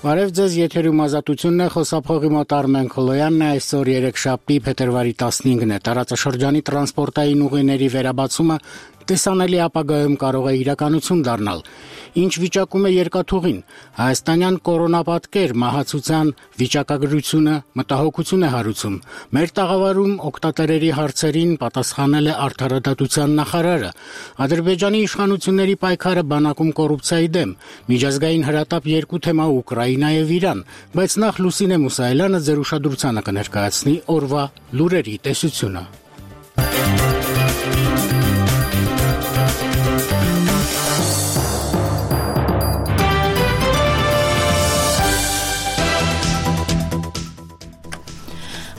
Բարև ձեզ, եթերում Ազատությունն է, խոսափողի մոտ Արմեն Քոլոյանն է, այսօր երեքշաբթի փետրվարի 15-ն է, տարածաշրջանի տրանսպորտային ուղիների վերաբացումը տեսանելի ապագայում կարող է իրականություն դառնալ։ Ինչ վիճակում է երկաթուղին։ Հայաստանյան կորոնապատկեր մահացության վիճակագրությունը մտահոգություն է հարուցում։ Մեր տաղավարում օգտատերերի հարցերին պատասխանել է Արդարադատության նախարարը։ Ադրբեջանի իշխանությունների պայքարը բանակում կոռուպցիայի դեմ։ Միջազգային հրատապ 2 թեմա Ուկրաինա եւ Իրան, բայց նախ Լուսինե Մուսայելյանը ձեր ուշադրությանը կներկայացնի օրվա լուրերի տեսությունը։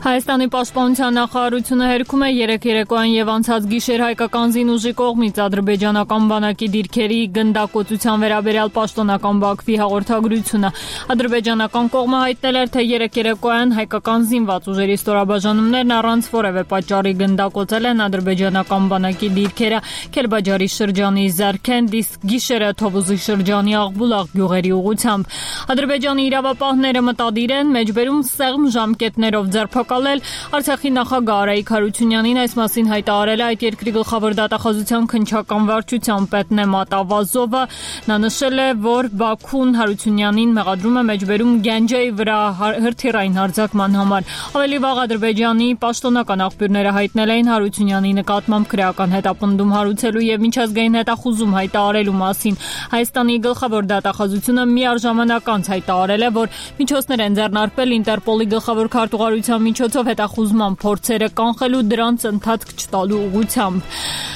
Հայաստանի պաշտպանության նախարարությունը հերքում է երեկոյան եւ անցած գիշեր հայկական զինուժի կողմից ադրբեջանական բանակի դիրքերի գնդակոծության վերաբերյալ պաշտոնական Բաքվի հաղորդագրությունը։ Ադրբեջանական կողմը հայտնել էր, թե երեկոյան հայկական զինված ուժերի ստորաբաժանումներն առանց որևէ պատճառի գնդակոծել են ադրբեջանական բանակի դիրքերը Քելբաջարի շրջանի Զարքենդ, իսկ գիշերը Թովուզի շրջանի Աղբուլաղ գյուղերի ուղղությամբ։ Ադրբեջանի իրավապահները մտադիր են մեջբերում սեղմ ժամկետներով ձերբակալել Արցախի նախագահ Արայիկ Հարությունյանին, այս մասին հայտարարել է այդ երկրի գլխավոր դատախազության քննչական վարչության պետ Նեմատ Ավազովը։ Նա նշել է, որ Բաքուն Հարությունյանին մեղադրում է մեջբերում Գանջայի վրա հրթիռային հարձակման համար։ Ավելի վաղ Ադրբեջանի պաշտոնական աղբյուրները հայտնել էին Հարությունյանի նկատմամբ քրեական հետապնդում հարուցելու եւ միջազգային հետախուզում հայտարարելու մասին։ Հայաստանի գլխավոր դատախազությունը միառժամանակ անց հայտարարել է, որ միջոցներ են ձեռնարկվել Ինտերպոլի գլխավոր քարտուղարության միջոցով հետախուզման փորձերը կանխելու, դրանց ընթացք չտալու ուղղությամբ։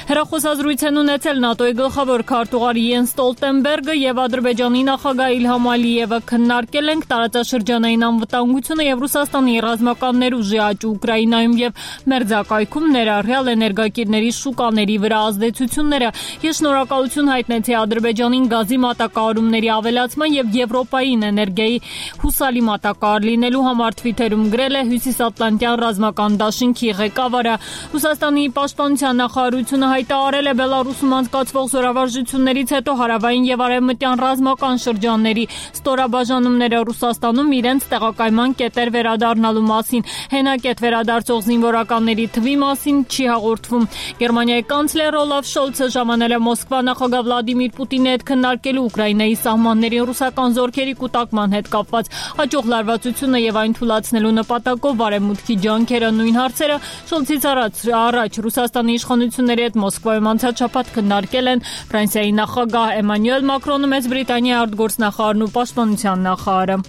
Հեռախոսազրույց են ունեցել ՆԱՏՕ-ի գլխավոր քարտուղար Յենս Ստոլտենբերգը եւ Ադրբեջանի նախագահ Իլհամ Ալիևը քննարկել են տարածաշրջանային անվտանգությունը եւ Ռուսաստանի ռազմական ներուժի աճ Ուկրաինայում եւ մերձակայքում ներառյալ էներգակիրների շուկաների վրա ազդեցությունները։ Ես շնորհակալություն հայտնեցի Ադրբեջանին գազի մատակարարումների ավելացման եւ Եվրոպային էներգիայի հուսալի մատակարար լինելու համար Twitter-ում գրել է Հյուսիսատլանտյան ռազմական դաշինքի ղեկավարը։ Ռուսաստանի պաշտպանության նախարարությունը հայտարարել է Բելարուսում անցկացվող զորավարժություններից հետո հարավային եւ արևմտյան ռազմական շրջանների ստորաբաժանումները Ռուսաստանում իրենց տեղակայման կետեր վերադառնալու մասին։ Հենակետ վերադարձող զինվորականների թվի մասին չի հաղորդվում։ Գերմանիայի կանցլեր Օլաֆ Շոլցը ժամանել է Մոսկվա նախագահ Վլադիմիր Պուտինի հետ քննարկելու Ուկրաինայի սահմանների ռուսական զորքերի կուտակման հետ կապված հաջող լարվածությունը եւ այն թույլատնելու նպատակով Արևմուտքի ջանքերը նույն հարցերը Շոլցից առաջ Ռուսաստանի իշխանությունների հետ Մոսկվայում անցած շաբաթ քննարկել են Ֆրանսիայի նախագահ Էմանուել Մակրոնը, Մեծ Բրիտանիայի արտգործնախարարն ու պաշտպանության նախարարը։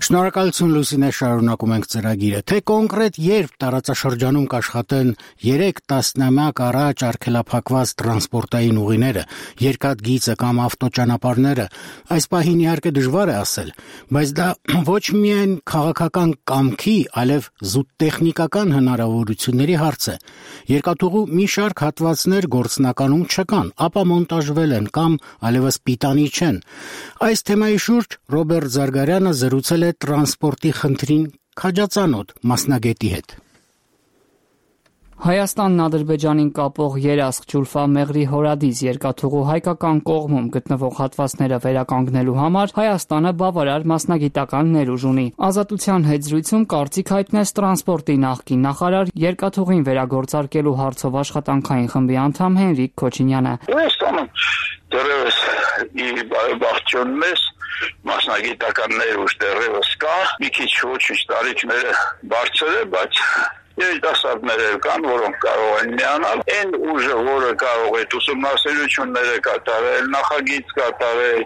Շնորհակալություն Լուսինե, շարունակում ենք ծրագիրը, թե կոնկրետ երբ տարածաշրջանում կաշխատեն 3 տասնամյակ առաջ արգելափակված տրանսպորտային ուղիները, երկաթգիծը կամ ավտոճանապարհները, այս պահին իհարկե դժվար է ասել, բայց դա ոչ միայն քաղաքական կամքի, այլև զուտ տեխնիկական հնարավորությունների հարց է։ Երկաթուղու մի շարք հատվածներ գործնականում չկան, ապա մոնտաժվել են կամ այլևս պիտանի չեն։ Այս թեմայի շուրջ Ռոբերտ Զարգարյանը զրուցել է տրանսպորտի խնդրին քաջածանոթ մասնագետի հետ։ Հայաստանն Ադրբեջանին կապող Երասխ Ջուլֆա-Մեղրի հորադիս երկաթուղու հայկական կողմում գտնվող հատվածները վերականգնելու համար Հայաստանը բավարար մասնագիտական ներուժ ունի։ Ազատության հետ զրույցում կարծիք հայտնեց տրանսպորտի նախկին նախարար, երկաթուղին վերագործարկելու հարցով աշխատանքային խմբի անդամ Հենրիկ Քոչինյանը։ Հայաստանը դեռևս իր բարեբախտությունն է, մասնագիտական ներուժ դեռևս կա, մի քիչ ոչինչ տարիքները բարձր է, բայց երիտասարդներ կան, որոնք կարող են միանալ, այն ուժը, որը կարող է ուսումնասիրությունները կատարել, նախագիծ կատարել,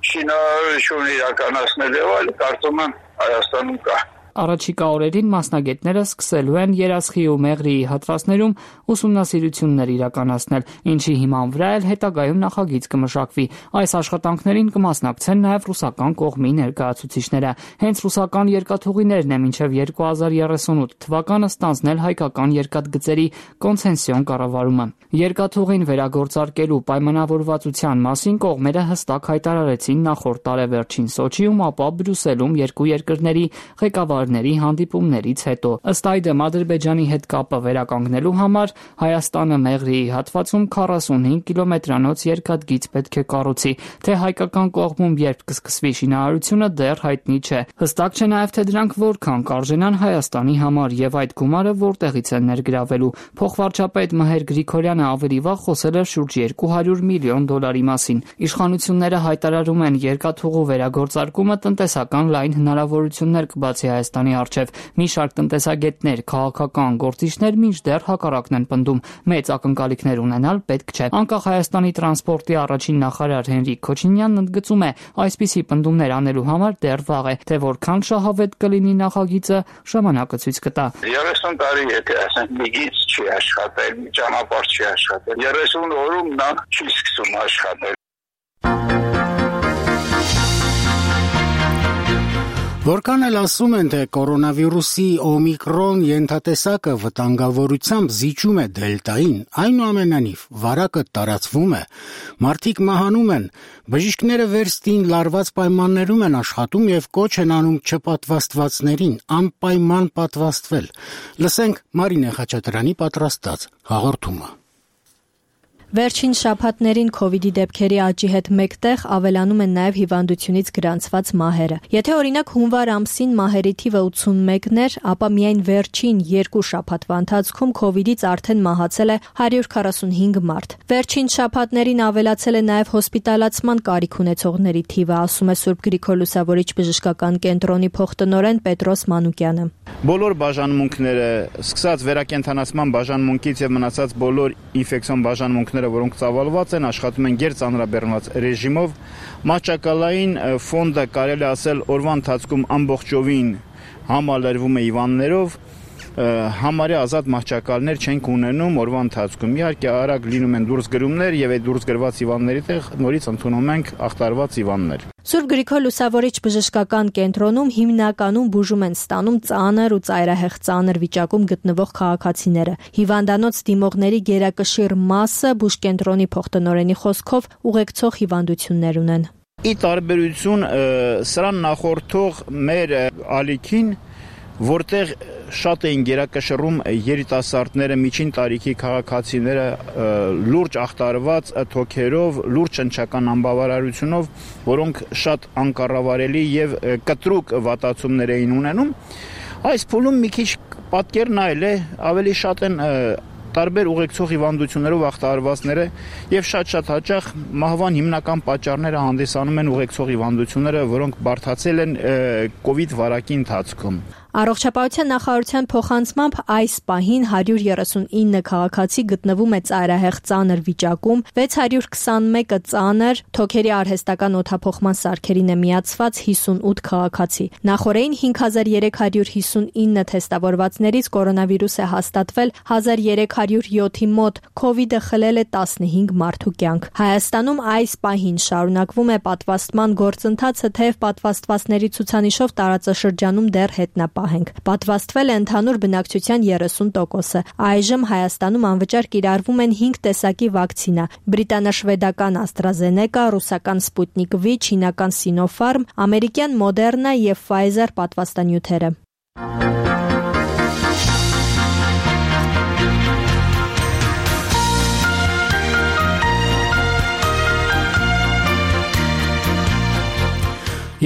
շինարարություն իրականացնել եւ այլ, կարծում եմ Հայաստանում կա։ Առաջիկա օրերին մասնագետները սկսելու են Երասխի ու Մեղրիի հատվածներում ուսումնասիրություններ իրականացնել, ինչի հիման վրա էլ հետագայում նախագիծ կմշակվի։ Այս աշխատանքներին կմասնակցեն նաև ռուսական կողմի ներկայացուցիչները։ Հենց ռուսական երկաթուղիներն է մինչև 2038 թվականը ստանձնել հայկական երկաթգծերի կոնցեսիոն կառավարումը։ Երկաթուղին վերագործարկելու պայմանավորվածության մասին կողմերը հստակ հայտարարեցին նախորդ տարեվերջին Սոչիում, ապա Բրյուսելում երկու երկրների ղեկավարների տարիների հանդիպումներից հետո։ Ըստ այդմ Ադրբեջանի հետ կապը վերականգնելու համար Հայաստանը Մեղրիի հատվածում 45 կիլոմետրանոց երկաթգիծ պետք է կառուցի, թե հայկական կողմում երբ կսկսվի շինարարությունը դեռ հայտնի չէ։ Հստակ չէ նաև, թե դրանք որքան կարժենան Հայաստանի համար եւ այդ գումարը որտեղից են ներգրավելու։ Փոխվարչապետ Մհեր Գրիգորյանը ավելի վաղ խոսել էր շուրջ $200 միլիոն մասին։ Իշխանությունները հայտարարում են երկաթուղու վերագործարկումը տնտեսական լայն հնարավորություններ կբացի Հայաստանի առջև։ Մի շարք տնտեսագետներ, քաղաքական գործիչներ մինչդեռ հակառակն են պնդում։ Մեծ ակնկալիքներ ունենալ պետք չէ։ Անկախ Հայաստանի տրանսպորտի առաջին նախարար Հենրիկ Քոչինյանն ընդգծում է, այսպիսի պնդումներ անելու համար դեռ վաղ է, թե որքան շահավետ կլինի նախագիծը, ժամանակը ցույց կտա։ 30 տարի եթե ասենք մի գիծ չի աշխատել, մի ճանապարհ չի աշխատել, 30 օրում նա չի սկսում աշխատել։ Որքան էլ ասում են, թե կորոնավիրուսի օմիկրոն ենթատեսակը վտանգավորությամբ զիջում է դելտային, այնուամենայնիվ վարակը տարածվում է, մարդիկ մահանում են, բժիշկները վերստին լարված պայմաններում են աշխատում եւ կոչ են անում չպատվաստվածներին անպայման պատվաստվել։ Լսենք Մարինե Խաչատրյանի պատրաստած հաղորդումը։ Վերջին շաբաթներին COVID-ի դեպքերի աճի հետ մեկտեղ ավելանում են նաև հիվանդությունից գրանցված մահերը։ Եթե օրինակ հունվար ամսին մահերի թիվը 81 էր, ապա միայն վերջին 2 շաբաթվա ընթացքում COVID-ից արդեն մահացել է 145 մարդ։ Վերջին շաբաթներին ավելացել է նաև հոսպիտալացման կարիք ունեցողների թիվը, ասում է Սուրբ Գրիգոր Լուսավորիչ բժշկական կենտրոնի փոխտնօրեն Պետրոս Մանուկյանը։ Բոլոր բաժանմունքները, սկսած վերակենդանացման բաժանմունքից եւ մնացած բոլոր ինֆեկցիոն բաժանմունքները, որոնք ծավալված են, աշխատում են գերծանրաբեռնված ռեժիմով։ Մահճակալային ֆոնդը կարելի ասել օրվա ընթացքում ամբողջովին համալրվում է հիվանդներով, համարյա ազատ մահճակալներ չենք ունենում օրվա ընթացքում։ Իհարկե արագ լինում են դուրս գրումներ եւ այդ դուրս գրված հիվանդների տեղ նորից ընդունում ենք ախտարված հիվանդներ։ Սուրբ Գրիգոր Լուսավորիչ բժշկական կենտրոնում հիմնականում բուժում են ստանում ծանր ու ծայրահեղ ծանր վիճակում գտնվող քաղաքացիները։ Հիվանդանոց դիմողների գերակշիռ մասը բուժկենտրոնի փոխտնօրենի խոսքով ուղեկցող հիվանդություններ ունեն։ Ի տարբերություն սրան նախորդող մեր ալիքին, որտեղ շատ էին գերակշռում երիտասարդները, միջին տարիքի քաղաքացիները լուրջ ախտարված թոքերով, լուրջ ճնշական անբավարարությունով, որոնք շատ անկառավարելի եւ կտրուկ վատացումներ էին ունենում, այս փուլում մի քիչ պատկերն այլ է, ավելի շատ են տարբեր ուղեկցող հիվանդություններով ախտարվածները եւ շատ հաճախ մահվան հիմնական պատճառները հանդիսանում են ուղեկցող հիվանդությունները, որոնք բարդացել են COVID վարակի ընթացքում։ Առողջապահության նախարարության փոխանցմամբ այս պահին 139 քաղաքացի գտնվում է ծայրահեղ ծանր վիճակում, 621-ը ծանր, թոքերի արհեստական օդափոխման սարքերին է միացված 58 քաղաքացի։ Նախորդին 5359 թեստավորվածներից կորոնավիրուս է հաստատվել 1307-ի մոտ, COVID-ը խլել է 15 մարդու կյանք։ Հայաստանում այս պահին շարունակվում է պատվաստման գործընթացը, թեև պատվաստվածների ցուցանիշով տարածաշրջանում դեռ հետնապահ ենք։ Պատվաստվել է ընդհանուր բնակչության 30%-ը։ Այժմ Հայաստանում անվճար կիրառվում են 5 տեսակի վակցինա՝ բրիտանա-շվեդական AstraZeneca, ռուսական Sputnik V, չինական Sinopharm, ամերիկյան Moderna եւ Pfizer պատվաստանյութերը։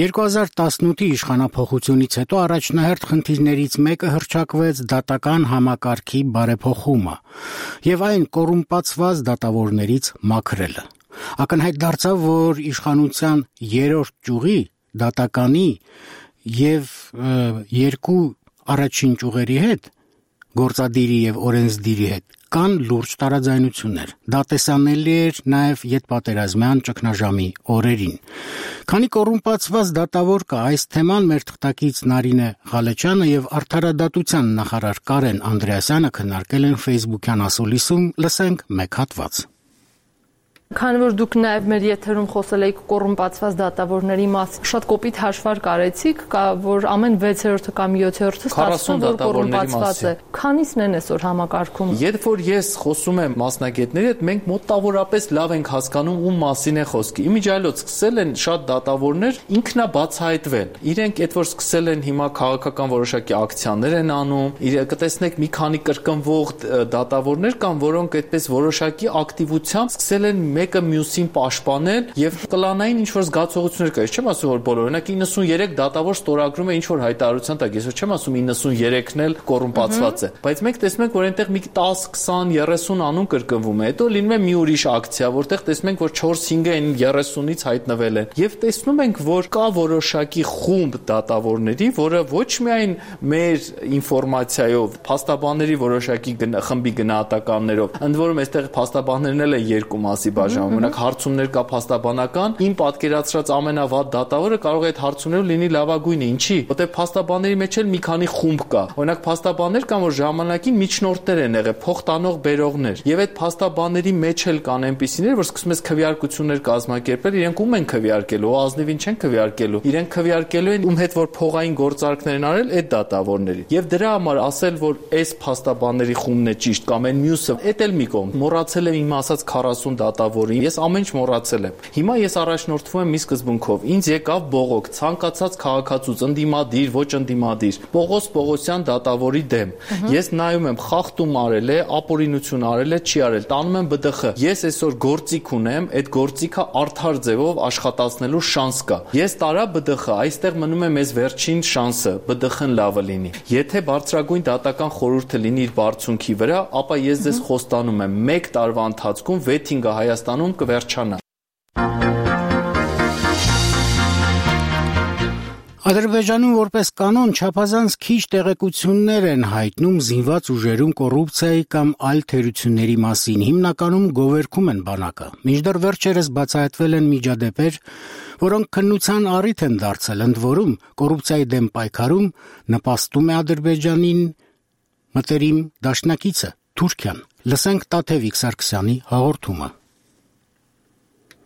«2018-ի իշխանափոխությունից հետո առաջնահերթ խնդիրներից մեկը հռչակվեց դատական համակարգի բարեփոխումը եւ այն կոռումպացված դատավորներից մաքրելը։ Ակնհայտ դարձավ, որ իշխանության երրորդ ճյուղի դատականի եւ երկու առաջին ճյուղերի հետ, գործադիրի եւ օրենսդիրի հետ, կան լուրջ տարաձայնություններ։ Դա տեսանելի էր նաև ետպատերազմյան ճգնաժամի օրերին։ Քանի կոռումպացված դատավոր կա, այս թեման մեր թղթակից Նարինե Ղալեչյանը եւ Արդարադատության նախարար Կարեն Անդրեասյանը քննարկել են Facebook-յան ասուլիսում, լսենք մեկ հատված։ Քանի որ դուք նաև մեր եթերում խոսել եք կոռումպացված դատավորների մասին, շատ կոպիտ հաշվարկ արեցիք, որ ամեն 6-րդը կամ 7-րդը ստացվում որ կոռումպացված է։ Քանիսն են այսօր համակարգում։ Երբ որ ես խոսում եմ մասնագետների հետ, մենք մոտավորապես լավ ենք հասկանում ում մասին է խոսքը։ Իմիջիայլոց սկսել են շատ դատավորներ ինքնաբացահայտվել։ Իրենք այդ որ սկսել են հիմա քաղաքական որոշակի ակցիաներ են անում, կտեսնեք մի քանի կրկնվող դատավորներ կան, որոնք այդպես որոշակի ակտիվությամբ սկսել են մեկը մյուսին պաշտպանել եւ կլանային ինչ որ զգացողություններ կա։ Ես չեմ ասում որ բոլորը, օրինակ 93 դատավոր ստորագրում է ինչ որ հայտարարության տակ, ես չեմ ասում 93-ն էլ կոռումպացված է, բայց մենք տեսնում ենք որ այնտեղ մի 10, 20, 30 անուն կրկնվում է, հետո լինում է մի ուրիշ ակցիա, որտեղ տեսնում ենք որ 4-5-ը այն 30-ից հայտնվել են եւ տեսնում ենք որ կա որոշակի խումբ դատավորների, որը ոչ միայն մեր ինֆորմացիայով, փաստաբանների որոշակի խմբի գնահատականներով, ընդ որում այստեղ փաստաբաններն էլ են երկու մասի բաժանում, օրինակ հարցումներ կա փաստաբանական, իմ պատկերացրած ամենավատ դատավորը կարող է այդ հարցումներով լինի լավագույնը, ինչի, որտեղ փաստաբանների մեջ էլ մի քանի խումբ կա, օրինակ փաստաբաններ կան, որ ժամանակին միջնորդներ են եղել, փոխտանող բերողներ, եւ այդ փաստաբանների մեջ էլ կան այնպիսիներ, որ սկսում ես քվեարկություններ կազմակերպել, իրենք ում են քվեարկելու, ազնիվին չեն քվեարկելու, իրենք քվեարկելու են ում հետ որ փողային գործարքներ են արել այդ դատավորների։ Եվ դրա համար ասել, որ այս փաստաբանների խումբն է ճիշտ կամ այն մյուսը, այդ էլ մի կողմ։ Մոռացել եմ իմ ասած 40 դատավորի, ես ամեն ինչ մոռացել եմ։ Հիմա ես առաջնորդվում եմ մի սկզբունքով։ Ինձ եկավ բողոք, ցանկացած քաղաքացուց, ընդդիմադիր, ոչ ընդդիմադիր, Պողոս Պողոսյան դատավորի դեմ։ Ես նայում եմ, խախտում արել է, ապօրինություն արել է, չի արել, տանում եմ ԲԴԽ։ Ես այսօր գործիք ունեմ, այդ գործիքը արդար ձևով աշխատացնելու շանս կա։ Ես տարա ԲԴԽ, այստեղ մնում է մեզ վերջին շանսը, ԲԴԽ-ն լավը լինի։ Եթե բարձրագույն դատական խորհուրդը լինի իր բարձունքի վրա, ապա ես ձեզ խոստանում եմ, 1 տարվա ընթացքում վեթինգը Հայաստանում կվերջանա։ Ադրբեջանում որպես կանոն չափազանց քիչ տեղեկություններ են հայտնում զինված ուժերում կոռուպցիայի կամ այլ թերությունների մասին, հիմնականում գովերգում են բանակը։ Մինչդեռ վերջերս բացահայտվել են միջադեպեր, որոնք քննության առիթ են դարձել, ընդ որում կոռուպցիայի դեմ պայքարում նպաստում է Ադրբեջանին մտերիմ դաշնակիցը Թուրքիան։ Լսենք Տաթևիկ Սարգսյանի հաղորդումը։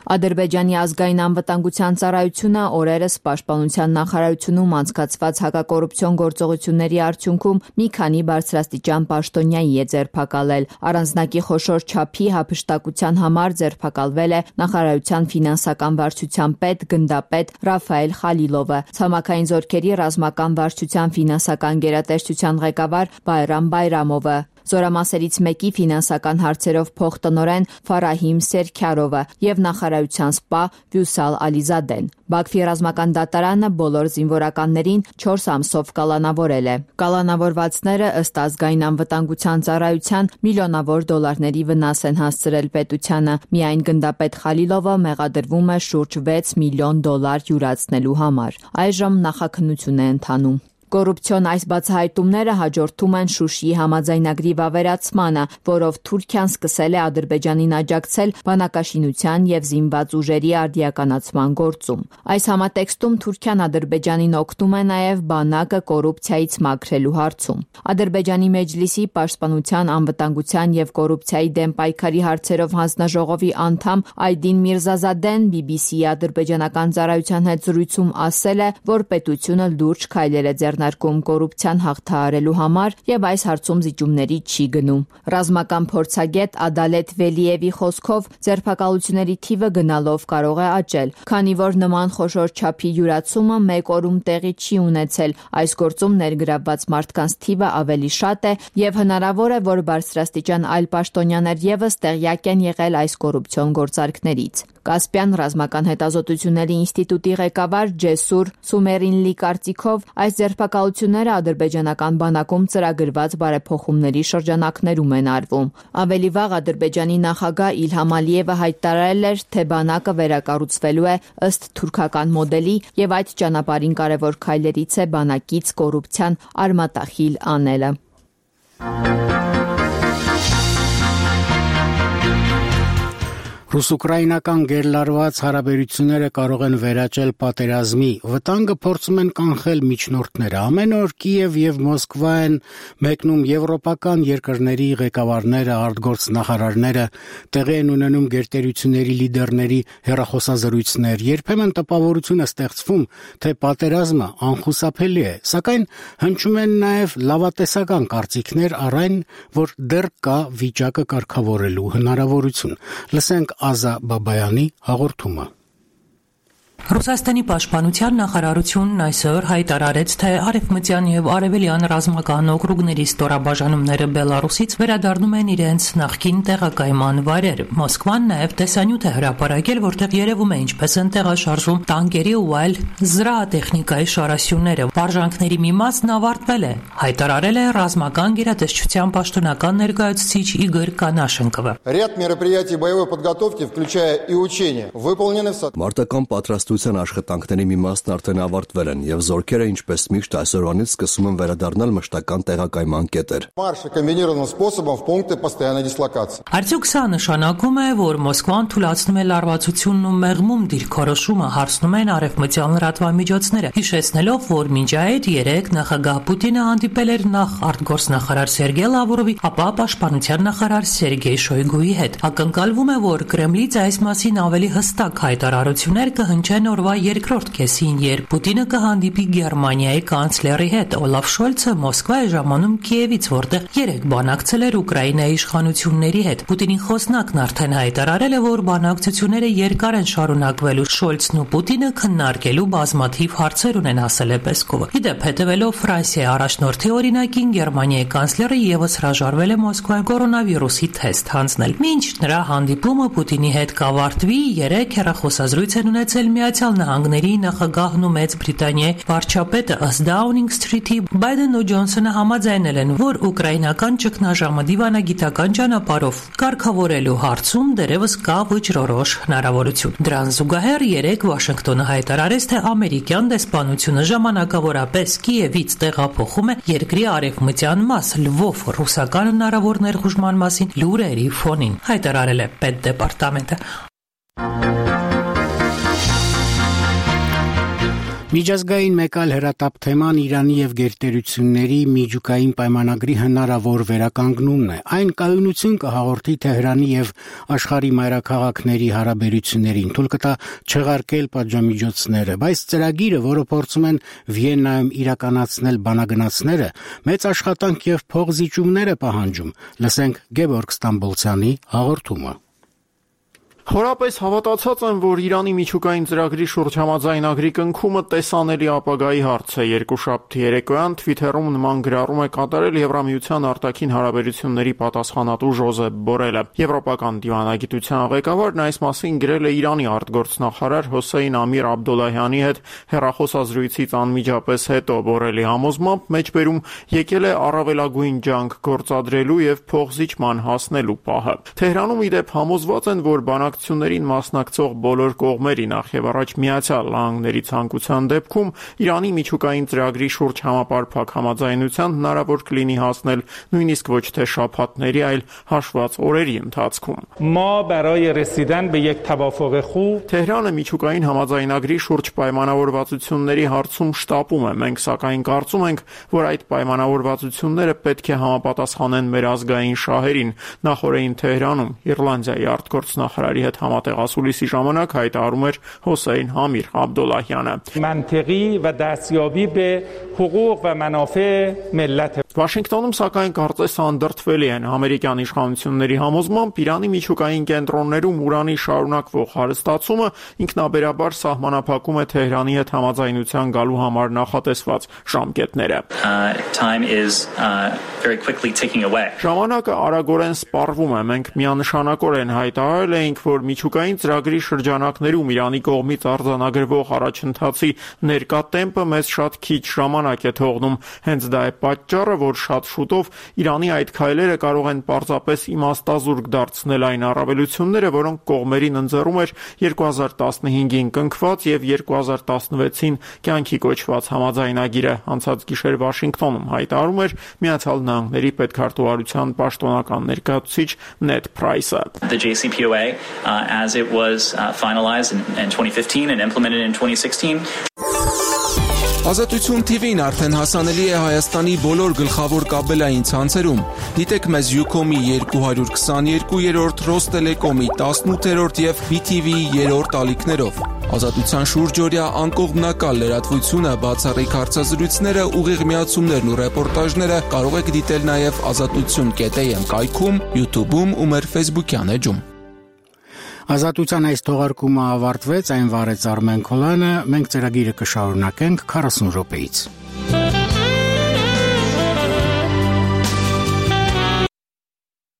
Ադրբեջանի ազգային անվտանգության ծառայությունը օրերս Պաշտպանության նախարարությունում անցկացված հակակոռուպցիոն գործողությունների արդյունքում մի քանի բարձրաստիճան պաշտոնյայի է ձերբակալել։ Առանձնակի խոշոր չափի հափշտակության համար ձերբակալվել է նախարարության ֆինանսական վարչության պետ գնդապետ Ռաֆայել Խալիլովը, ցամաքային զորքերի ռազմական վարչության ֆինանսական գերատեսչության ղեկավար Բայրամ Բայրամովը, Զորամասերից մեկի ֆինանսական հարցերով փոխտնօրեն Ֆարահիմ Սերքարովը եւ նախարարության սպա Վյուսալ Ալիզադեն։ Բաքվի ռազմական դատարանը բոլոր զինվորականներին 4 ամսով կալանավորել է։ Կալանավորվածները ըստ ազգային անվտանգության ծառայության միլիոնավոր դոլարների վնաս են հասցրել պետությանը։ Միայն գնդապետ Խալիլովը մեղադրվում է շուրջ 6 միլիոն դոլար յուրացնելու համար։ Այժմ նախաքննություն է ընթանում։ Կոռուպցիոն այս բացահայտումները հաջորդում են Շուշիի համաձայնագրի վավերացմանը, որով Թուրքիան սկսել է Ադրբեջանին աջակցել բանակաշինության եւ զինված ուժերի արդիականացման գործում։ Այս համատեքստում Թուրքիան Ադրբեջանին օգնում է նաեւ բանակը կոռուպցիայից մաքրելու հարցում։ Ադրբեջանի Մեջլիսի Պաշտպանության, անվտանգության եւ կոռուպցիայի դեմ պայքարի հարցերով հանձնաժողովի անդամ Այդին Միրզազադեն BBC-ի ադրբեջանական ծառայության հետ զրույցում ասել է, որ պետությունը լուրջ քայլեր է ձեռնարկում կոռուպցիան հաղթահարելու համար եւ այս հարցում զիջումների չի գնում։ Ռազմական փորձագետ Ադալետ Վելիևի խոսքով ձերբակալությունների թիվը գնալով կարող է աճել, քանի որ նման խոշոր չափի յուրացումը մեկ օրում տեղի չի ունեցել։ Այս գործում ներգրավված մարդկանց թիվը ավելի շատ է եւ հնարավոր է, որ բարձրաստիճան այլ պաշտոնյաներ եւս տեղյակ են եղել այս կոռուպցիոն գործարքներից։ Կասպյան ռազմական հետազոտությունների ինստիտուտի ղեկավար Ջեսուր Սումերինլի կարծիքով այս ձերբակալությունները ադրբեջանական բանակում ծրագրված բարեփոխումների շրջանակներում են արվում։ Ավելի վաղ Ադրբեջանի նախագահ Իլհամ Ալիևը հայտարարել էր, թե բանակը վերակառուցվելու է ըստ թուրքական մոդելի եւ այդ ճանապարհին կարևոր քայլերից է բանակից կոռուպցիան արմատախիլ անելը։ Ռուս-ուկրաինական գերլարված հարաբերությունները կարող են վերաճել պատերազմի, վտանգը փորձում են կանխել միջնորդները։ Ամեն օր Կիև եւ Մոսկվա են մեկնում եվրոպական երկրների ղեկավարները, արտգործնախարարները, տեղի են ունենում գերտերությունների լիդերների հեռախոսազրույցներ։ Երբեմն տպավորություն է ստեղծվում, թե պատերազմը անխուսափելի է, սակայն հնչում են նաեւ լավատեսական կարծիքներ առ այն, որ դեռ կա վիճակը կարգավորելու հնարավորություն։ Լսենք Ազա Բաբայանի հաղորդումը։ Ռուսաստանի պաշտպանության նախարարությունն այսօր հայտարարեց, թե արևմտյան եւ արևելյան ռազմական օկրուգների ստորաբաժանումները Բելարուսից վերադառնում են իրենց նախկին տեղակայման վայրեր։ Մոսկվան նաեւ տեսանյութ է հրապարակել, որտեղ երևում է ինչպես են տեղաշարժում տանկերի ու այլ զրահատեխնիկայի շարասյունները։ Վարժանքների մի մասն ավարտվել է, հայտարարել է ռազմական գերատեսչության պաշտոնական ներկայացուցիչ Իգոր Կանաշենկովը։ Ряд мероприятий боевой подготовки, включая и учения, выполнены в соответствии աշխատանքների մի մասն արդեն ավարտվել են եւ զորքերը ինչպես միշտ այսօրվանից սկսում են վերադառնալ մշտական տեղակայման կետեր։ Марш комбинированным способом в пункты постоянной дислокации։ Արդյոք սա նշանակում է, որ Մոսկվան թույլատնում է լարվածությունն ու մեղմում դիրքորոշումը, հարցնում են արևմտյան լրատվամիջոցները, հիշեցնելով, որ մինչ այդ երեք նախագահ Պուտինը հանդիպել էր նախ արտգործնախարար Սերգեյ Լավրովի, ապա պաշտպանության նախարար Սերգեյ Շոյգուի հետ։ Ակնկալվում է, որ Կրեմլից այս մասին ավելի հստակ հայտարարություններ կհնչեն օրվա երկրորդ կեսին, երբ Պուտինը կհանդիպի Գերմանիայի կանցլերի հետ։ Օլաֆ Շոլցը Մոսկվա է ժամանում Կիևից, որտեղ երեք բանակցել էր Ուկրաինայի իշխանությունների հետ։ Պուտինի խոսնակն արդեն հայտարարել է, որ բանակցությունները երկար են շարունակվելու։ Շոլցն ու Պուտինը քննարկելու բազմաթիվ հարցեր ունեն, ասել է Պեսկովը։ Իդեպ, հետևելով Ֆրանսիայի առաջնորդի օրինակին, Գերմանիայի կանցլերը եւս հրաժարվել է Մոսկվայում կորոնավիրուսի թեստ հանձնել։ Մինչ նրա հանդիպումը Պուտինի հետ կավարտվի, երեք հեռախոսազրույց են ունեցել Միացյալ Նահանգների նախագահն ու Մեծ Բրիտանիայի վարչապետը, ըստ Դաունինգ Սթրիթի Բայդենն ու Ջոնսոնը համաձայնել են, որ ուկրաինական ճգնաժամը դիվանագիտական ճանապարհով կարգավորելու հարցում դեռևս կա վճռորոշ հնարավորություն։ Դրան զուգահեռ երեք Վաշինգտոնը հայտարարեց, թե ամերիկյան դեսպանությունը ժամանակավորապես Կիևից տեղափոխում է երկրի արևմտյան մաս Լվով ռուսական հնարավոր ներխուժման մասին լուրերի ֆոնին, հայտարարել է պետդեպարտամենտը։ Միջազգային մեկ այլ հրատապ թեման Իրանի եւ գերտերությունների միջուկային պայմանագրի հնարավոր վերականգնումն է։ Այն կայունություն կհաղորդի Թեհրանի եւ աշխարհի մայրաքաղաքների հարաբերություններին, թույլ կտա չեղարկել պատժամիջոցները, բայց ծրագիրը, որը փորձում են Վիեննայում իրականացնել բանագնացները, մեծ աշխատանք եւ փողզիջումներ է պահանջում։ Լսենք Գեորգ Ստամբոլցյանի հաղորդումը։ Խորապես հավատացած եմ, որ Իրանի միջուկային ծրագրի շուրջ համաձայնագրի կնքումը տեսանելի ապագայի հարց է։ Երկուշաբթի երեկոյան Twitter-ում նման գրառում է կատարել Եվրամիության արտաքին հարաբերությունների պատասխանատու Ժոզեփ Բորելը։ Եվրոպական դիվանագիտության ղեկավարն այս մասին գրել է Իրանի արտգործնախարար Հոսեյն Ամիր Աբդոլլահյանի հետ հեռախոսազրույցից անմիջապես հետո։ Բորելի համոզմամբ մեջբերում եկել է առավելագույն ջանք գործադրելու եւ փողզիջման հասնելու պահը։ Թեհրանում իդեպ համոզված են, որ բանակցություններին մասնակցող բոլոր կողմերի, նախ եւ առաջ Միացյալ Նահանգների ցանկության դեպքում Իրանի միջուկային ծրագրի շուրջ համապարփակ համաձայնության հնարավոր կլինի հասնել նույնիսկ ոչ թե շաբաթների, այլ հաշված օրերի ընթացքում։ Թեհրանը միջուկային համաձայնագրի շուրջ պայմանավորվածությունների հարցում շտապում է։ Մենք սակայն կարծում ենք, որ այդ պայմանավորվածությունները պետք է համապատասխանեն մեր ազգային շահերին։ Նախորդին Թեհրանում Իռլանդիայի արտգործնախարարի հետ համատեղասուլիսի ժամանակ հայտարարում էր Հոսեյն Ամիր Աբդոլլահյանը։ Վաշինգտոնում սակայն կարծես անդրդվելի են ամերիկյան իշխանությունների համոզմամբ Իրանի միջուկային կենտրոններում ուրանի շարունակվող հարստացումը ինքնաբերաբար սահմանափակում է Թեհրանի հետ համաձայնության գալու համար նախատեսված ժամկետները։ Ժամանակը արագորեն սպառվում է։ Մենք միանշանակորեն հայտարարել էինք, որ միջուկային ծրագրի շրջանակներում Իրանի կողմից արձանագրվող առաջընթացի ներկա տեմպը մեզ շատ քիչ ժամանակ է թողնում։ Հենց դա է պատճառը, որ շատ շուտով Իրանի այդ քայլերը կարող են պարզապես իմաստազուրկ դարձնել այն առավելությունները, որոնք կողմերին ընձեռում էր 2015-ին կնքված եւ 2016-ին կյանքի կոչված համաձայնագիրը։ Անցած գիշեր Վաշինգտոնում հայտարարում էր Միացյալ Նահանգների պետքարտուղարության պաշտոնական ներկայացուցիչ Նեդ Պրայսը. The JCPOA as it was finalized in 2015 and implemented in 2016. Ազատություն TV-ն արդեն հասանելի է Հայաստանի բոլոր գլխավոր կաբելային ցանցերում։ Դիտեք մեզ Ucom-ի 222-րդ, Ռոստելեկոմի 18-րդ եւ BTV-ի 3-րդ ալիքներով։ Ազատության շուրջօրյա անկողմնակալ լրատվությունը, բացառիկ հարցազրույցները, ուղիղ միացումներն ու ռեպորտաժները կարող եք դիտել նաեւ azatutsun.am կայքում, YouTube-ում ու մեր Facebook-յան էջում։ Ազատության այս թողարկումը ավարտվեց, այն վարեց Արմեն Քոլյանը, մենք ծրագիրը կշարունակենք 40 րոպեից։